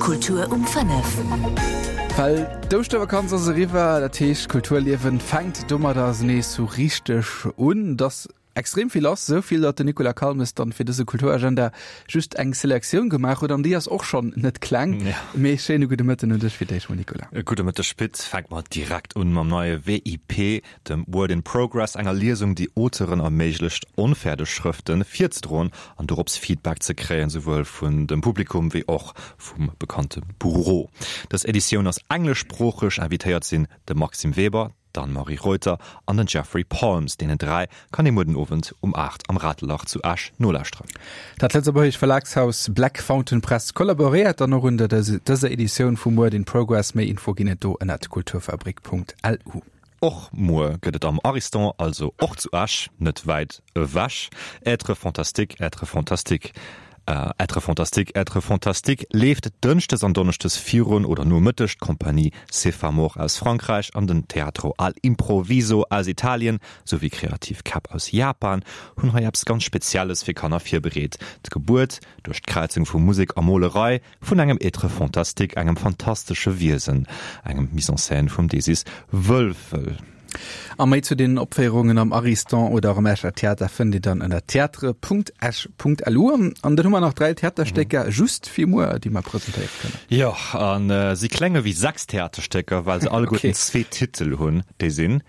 Kultur um 5. Well d'Ouschtervakanz ass eriwwer, dat heescht d'Kulturliewen fänkt domadder nees sou richteg un. Dass extrem vill lass, sou vill, datt den Nicolas Calmes dann fir dëse Kulturagenda just eng Selektioun gemaach huet an déi ass och schonn net kleng. Mee schéine gudde Mëtten un dech fir d'éischt mol Nicolas. Gudde Mëtteg Pit. Fänke mer direkt un mam neie WIP, dem Word in Progress, enger Liesung, déi Auteuren erméiglecht, onfäerdeg Schrëfte virzedroen an dorops Feedback ze kréien, souwuel vun dem Publikum wéi och vum bekannte Bureau. Dës Editioun ass engleschsproocheg, invitéiert sinn de Maxime Weber, d'Anne-Marie Reuter an den Jeffrey Palms. Deenen 3 kann ee muer den Owend um 8 am Ratelach zu Esch nolauschteren. Dat lëtzebuergesch Verlagshaus Black Fountain Press kollaboréiert dann och un der dëser Editioun vum Word in Progress. Méi Info ginn et do ënnert kulturfabrik.lu. Och muer gëtt et am Ariston, also och zu Esch, net wäit ewech, Être fantastique, être fantastique, être fantastique, être fantastique leeft dënschdes an donneschdes virun oder no Mëtteg. D'Compagnie Cefamor aus Frankräich an den Teatro al Improvviso aus Italien souwéi Kreativ Käpp aus Japan hunn hei eppes ganz Spezielles fir Kanner virbereet, d'Gebuert duerch d'Kräizung vu Musek a Molerei. Vun engem Être fantastique, engem fantastesche Wiesen, engem Mise en scène vum Desis Wölfel. A méi zu den Opféierungen am Ariston oder och am Escher Theater fënnt Dir dann ënner theatre.esch.lu. An dann hu mer nach 3 Theaterstécker just fir muer, déi mer presentéiere kënnen. Jo, a si klénge wéi 6 Theaterstécker, well se alleguerten zwee Titel hunn, déi sinn,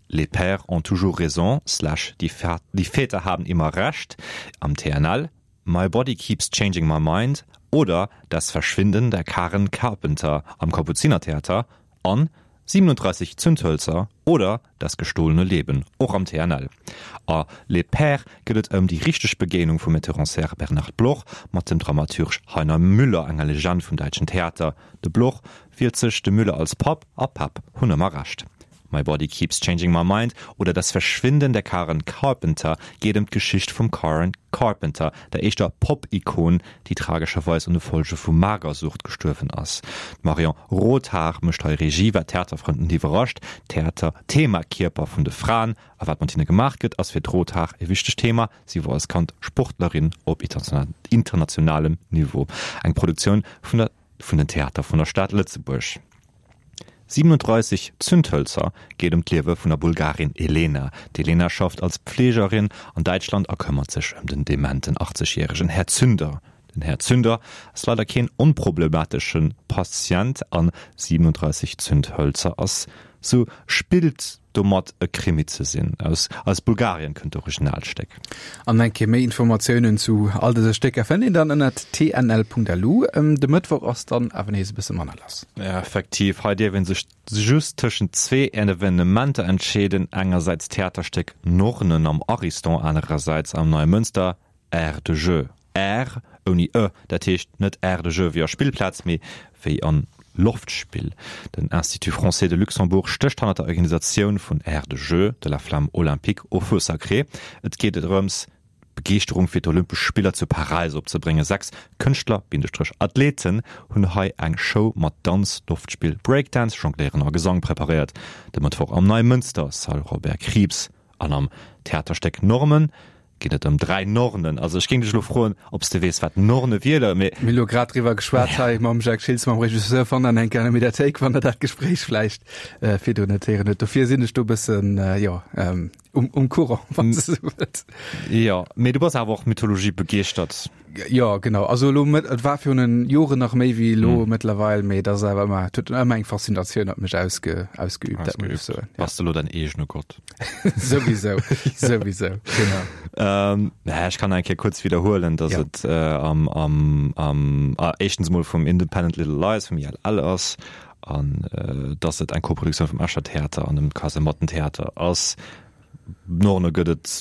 Les pères ont toujours raison slash Die Väter haben immer Recht am TNL, My Body Keeps Changing My Mind oder Das Verschwinden der Karen Carpenter am Kapuzinertheater an 37 Zündhölzer oder Das gestohlene Leben och am TNL. A Les Pères geet et ëm déi richteg Begéinung vum Metteur en scène Bernard Bloch mat dem Dramaturg Heiner Müller, enger Legend vum däitschen Theater. De Bloch wielt sech de Müller als Papp a Päpp hunn ëmmer Recht. My Body Keeps Changing My Mind oder Das Verschwinden der Karen Carpenter geet ëm d'Geschicht vum Karen Carpenter, der éischter Pop-Ikon, déi tragescherweis un de Folge vu Magersucht gestuerwen ass. D'Marion Rothhaar mécht hei Regie, wat d'Theaterfrënn net iwwerrascht. Theater, D'Thema Kierper vun de Fraen a wat mat hinne gemaach gëtt, ass fir d'Rothhaar e wichtegt Thema. Si wor als Kand Sportlerin op internationalem Niveau. Eng Produktioun vun der vun den Theater vun der Stad Lëtzebuerg. 37 Zündhölzer geet ëm d'Liewe vun der Bulgarin Elena. D'Elena schafft als Pflegerin an Däitschland a këmmert sech ëm den dementen 80 järegen Här Zünder. Den Här Zünder ass leider keen onproblematesche Patient an 37 Zündhölzer ass sou spillt domat e Krimi ze sinn. Aus aus Bulgarien kënnt d'Originalstéck. An eng Kéier méi Informatiounen zu all dëse Stécker fënnt een dann ënnert tnl.lu. De Mëttwoch ass dann awer nees e bësse manner lass. Effektiv, hei dierf ee sech just tëschent zwee Evenementer entscheeden, engersäits d'Theaterstéck Nornen am Ariston, anerersäits am Neimënster Aire de jeu, Aire ouni e, dat heescht net Aire de jeu wéi a Spillplaz, mee wéi an Loftspill. Den Institut Français de Luxembourg stécht hannert der Organisatioun vun Aire de jeu, de la flamme olympique au feu sacré. Et geet drëms, d'Begeeschterung fir d'Olympesch Spiller zu Paräis opzebréngen. 6 Kënschtler, Athleten hunn hei eng Show mat Danz, Loftspill, Breakdance, Jongléieren a Gesang preparéiert. De Mëttwoch am Neimënster, Salle Robert Krieps. An am Theaterstéck Normen geet et ëm 3 Nornen. Also ech géing dech elo froen, ob s de weess, wat Norne wieren, mee. Mir hu lo grad driwwer geschwat hei mam Jacques Schiltz, mam Regisseur vun an enker an der Mediathéik, wann der dat Gespréich vläicht virdrun net héieren huet. Dofir sinn ech do e bëssen, jo, um, um Courant, wann s de esou wëlls. Jo, mee du bass awer och Mythologie begeeschtert. Jo, genau. Also elo, et war virun Joren nach méi wéi elo mëttlerweil, mee et ass awer ëmmer, et huet ëmmer eng Faszinatioun op mech ausge, ausgeübt, dat muss ech soen. Ja. Bass de elo däin eegene Gott? Souwisou, souwisou, genau. Ähm, naja, ech kann eng Kéier kuerz widderhuelen, dass ja. et äh, am, am, am ah, éischtens mol vum Independent Little Lies, vum ILL ass, an äh, dass et eng Koproduktioun vum Escher Theater an dem Kasemattentheater ass. Norne gëtt et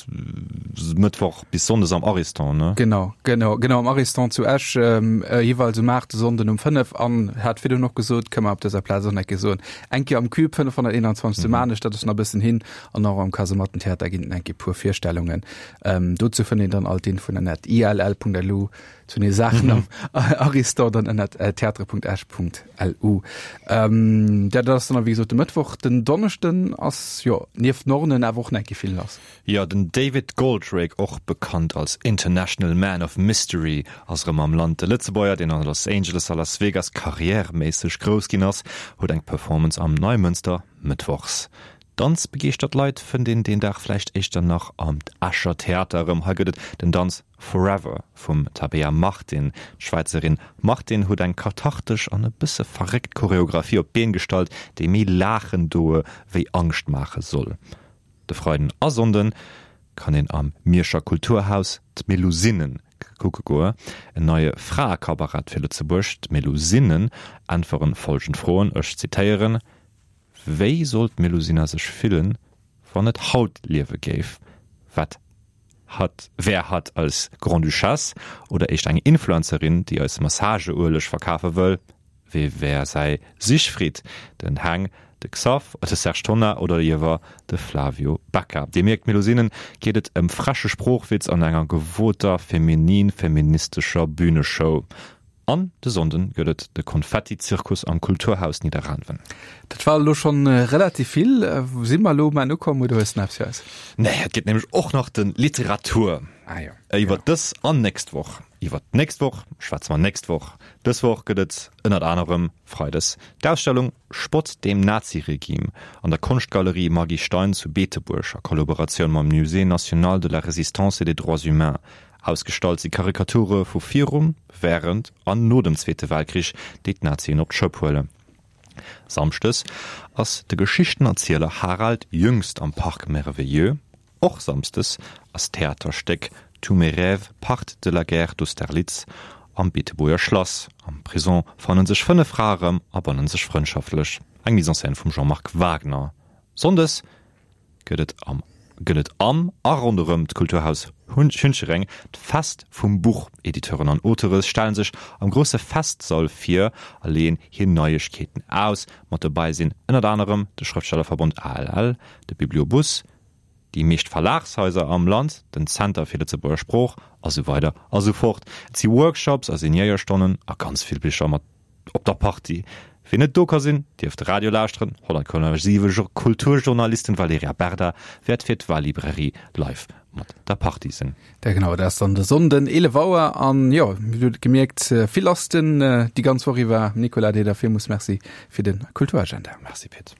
Mëttwoch bis Sonndes am Ariston, ne? Genau, genau, genau am Ariston zu Esch, ähm, äh, jeweils um 8, de Sonnden um 5 an hat virdrun och gesot, kënne mer op dëser Plaz och nach eng Kéier soen, eng Kéier am Cube 521 zu Maarnech, dat ass nach e bëssen hin, an och am Kasemattentheater ginn et eng Kéier puer Virstellungen. Ähm, dozou fënnt een dann all d'Infoen ënnert ill.lu. Zu den Saachen am Ariston dann ënnert theatre.esch.lu. Ähm, dat ass dann wéi gesot de Mëttwoch. Den Donneschden ass jo nieft Nornen awer och nach eng Kéier vill lass. Jo, den David Goldrake, och bekannt als International Man of Mystery, ass erëm am Land. De Lëtzebuerger, deen a Los Angeles a Las Vegas karriärméisseg grouss ginn ass, huet eng Performance am Neimënster mëttwochs. Danzbegeeschtert Leit fënnt een deen Dag vläicht éischter nach am Escher Theater erëm. Hei gëtt et den Danz Forever vum Tabea Martin. D'Schwäizerin Martin huet eng kathartesch an e bësse verréckt Choreographie op d'Been gestallt, déi méi laachen doe wéi Angscht maache soll. De Freiden a Sonnde kann een am Mierscher Kulturhaus d'Melusine kucke goe, en neie Fraecabaret fir Lëtzebuerg. D'Melusinen äntweren folgend Froen, ech zitéieren, Wéi soll d'Melusina sech fillen, wann et haut liewe géif? Wat Hatt wär hatt als Grande-Duchesse oder éischter eng Influencerin, déi eis Massageueleg verkafe wëll? Wee wär säi Siegfried, den Heng, de Xav, de Serge Tonnar oder iewer de Flavio Becca? Dir mierkt, Melusinen geet et ëm freche Sproochwitz an enger gewoter feminin-feministescher Bühneshow. An de Sonnden gëtt et de Konfetti-Zirkus am Kulturhaus Nidderaanwen. Dat war elo schonn relativ vill. Si mer elo um Enn ukomm oder hues de nach eppes fir eis? Nee, et gëtt nämlech och nach de Literatur. Ah jo. Iwwer dës an nächst Woch. Iwwer d'nächst Woch schwätze mer nächst Woch. Dës Woch gëtt et ënnert anerem freides d'Ausstellung Spott dem Naziregime an der Konschtgalerie Maggy Stein zu Beetebuerg a Kollaboratioun mam Musée national de la Résistance et des droits humains. Ausgestallt si Karikature vu virum, wärend an no dem Zweete Weltkrich, déi d'Nazien op d'Schëpp huelen. Samschdes ass de Geschichtenerzieler Harald Jüngst am Parc Merveilleux. Och samsdes ass d'Theaterstéck Tous mes rêves partent de la guerre d'Austerlitz am Beetebuerger Schlass. Am Prison fanne sech 5 Frae rëm a banne sech frëndschaftlech. Eng Mise en scène vum Jean-Marc Wagner. Sonndes gëtt et am gëtt et am a ronderëm d'Kulturhaus Hunchereng d'Fest vum Buch. Editeuren an Auteure stellen sech am grousse Festsall vir a leeën hir Neiegkeeten aus. Mat dobäi sinn ënnert anerem de Schrëftstellerverbond ALL, de Bibliobus, déi meescht Verlagshaiser am Land, den Zenter fir Lëtzebuerger Sprooch a sou weider a sou fort. Et si Workshops a Signéierstonnen a ganz vill Bicher mat Op der Party. Wien net do ka sinn, dierf de Radio lauschteren. 100,7 Kulturjournalistin Valerija Berda wäert fir d'Walibrairie live mat der Party sinn. Ja genau, dat ass dann de Sonnden 11 Auer an jo, dir hutt et gemierkt, vill lass den déi ganz Woch iwwer. Nicolas, dir da villmools Merci fir de Kulturagenda. Merci Pit.